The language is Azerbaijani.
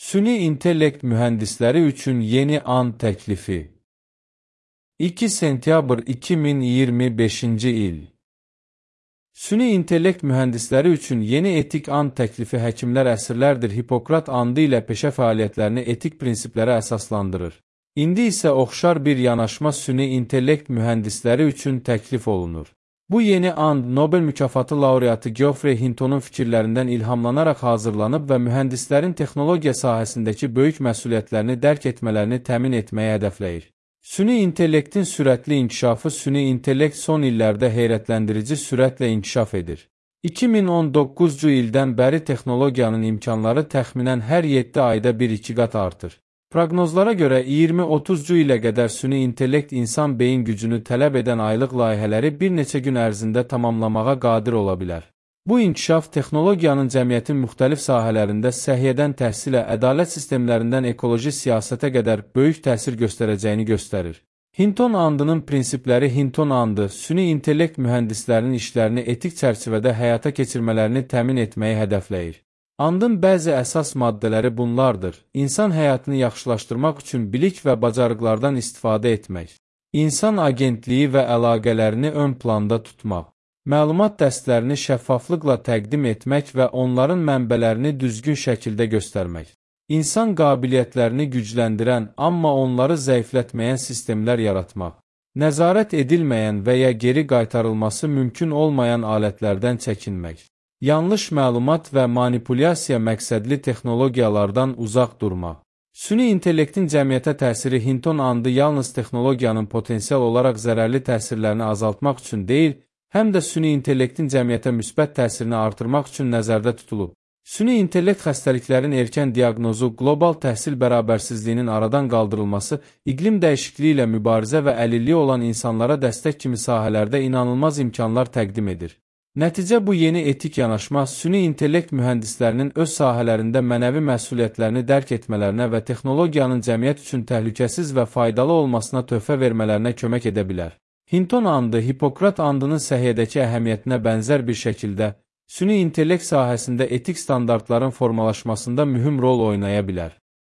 Süni intellekt mühendisləri üçün yeni an təklifi. 2 sentyabr 2025-ci il. Süni intellekt mühendisləri üçün yeni etik and təklifi həkimlər əsrlərdir Hipokrat andı ilə peşə fəaliyyətlərini etik prinsiplərə əsaslandırır. İndi isə oxşar bir yanaşma süni intellekt mühendisləri üçün təklif olunur. Bu yeni and Nobel mükafatı laureatı Geoffrey Hinton'un fikirlərindən ilhamlanaraq hazırlanıb və mühəndislərin texnologiya sahəsindəki böyük məsuliyyətlərini dərk etmələrini təmin etməyə hədəfləyir. Süni intellektin sürətli inkişafı Süni intellekt son illərdə heyrətləndirici sürətlə inkişaf edir. 2019-cu ildən bəri texnologiyanın imkanları təxminən hər 7 ayda 1-2 qat artır. Proqnozlara görə 20-30-cu ilə qədər süni intellekt insan beyin gücünü tələb edən aylıq layihələri bir neçə gün ərzində tamamlamağa qadir ola bilər. Bu inkişaf texnologiyanın cəmiyyətin müxtəlif sahələrində səhiyyədən təhsilə, ədalət sistemlərindən ekoloji siyasətə qədər böyük təsir göstərəcəyini göstərir. Hinton andının prinsipləri Hinton andı, süni intellekt mühəndislərinin işlərini etik çərçivədə həyata keçirmələrini təmin etməyi hədəfləyir. Andın bəzi əsas maddələri bunlardır. İnsan həyatını yaxşılaşdırmaq üçün bilik və bacarıqlardan istifadə etmək. İnsan agentliyi və əlaqələrini ön planda tutmaq. Məlumat dəstlərini şəffaflıqla təqdim etmək və onların mənbələrini düzgün şəkildə göstərmək. İnsan qabiliyyətlərini gücləndirən, amma onları zəiflətməyən sistemlər yaratmaq. Nəzarət edilməyən və ya geri qaytarılması mümkün olmayan alətlərdən çəkinmək. Yanlış məlumat və manipulyasiya məqsədli texnologiyalardan uzaq durmaq. Süni intellektin cəmiyyətə təsiri Hinton andı yalnız texnologiyanın potensial olaraq zərərli təsirlərini azaltmaq üçün deyil, həm də süni intellektin cəmiyyətə müsbət təsirini artırmaq üçün nəzərdə tutulub. Süni intellekt xəstəliklərin erkən diaqnozu, qlobal təhsil bərabərsizliyinin aradan qaldırılması, iqlim dəyişikliyi ilə mübarizə və əlilliyi olan insanlara dəstək kimi sahələrdə inanılmaz imkanlar təqdim edir. Nəticə bu yeni etik yanaşma süni intellekt mühəndislərinin öz sahələrində mənəvi məsuliyyətlərini dərk etmələrinə və texnologiyanın cəmiyyət üçün təhlükəsiz və faydalı olmasına töhfə vermələrinə kömək edə bilər. Hinton andı, Hipokrat andının səhiyyədəki əhəmiyyətinə bənzər bir şəkildə süni intellekt sahəsində etik standartların formalaşmasında mühüm rol oynaya bilər.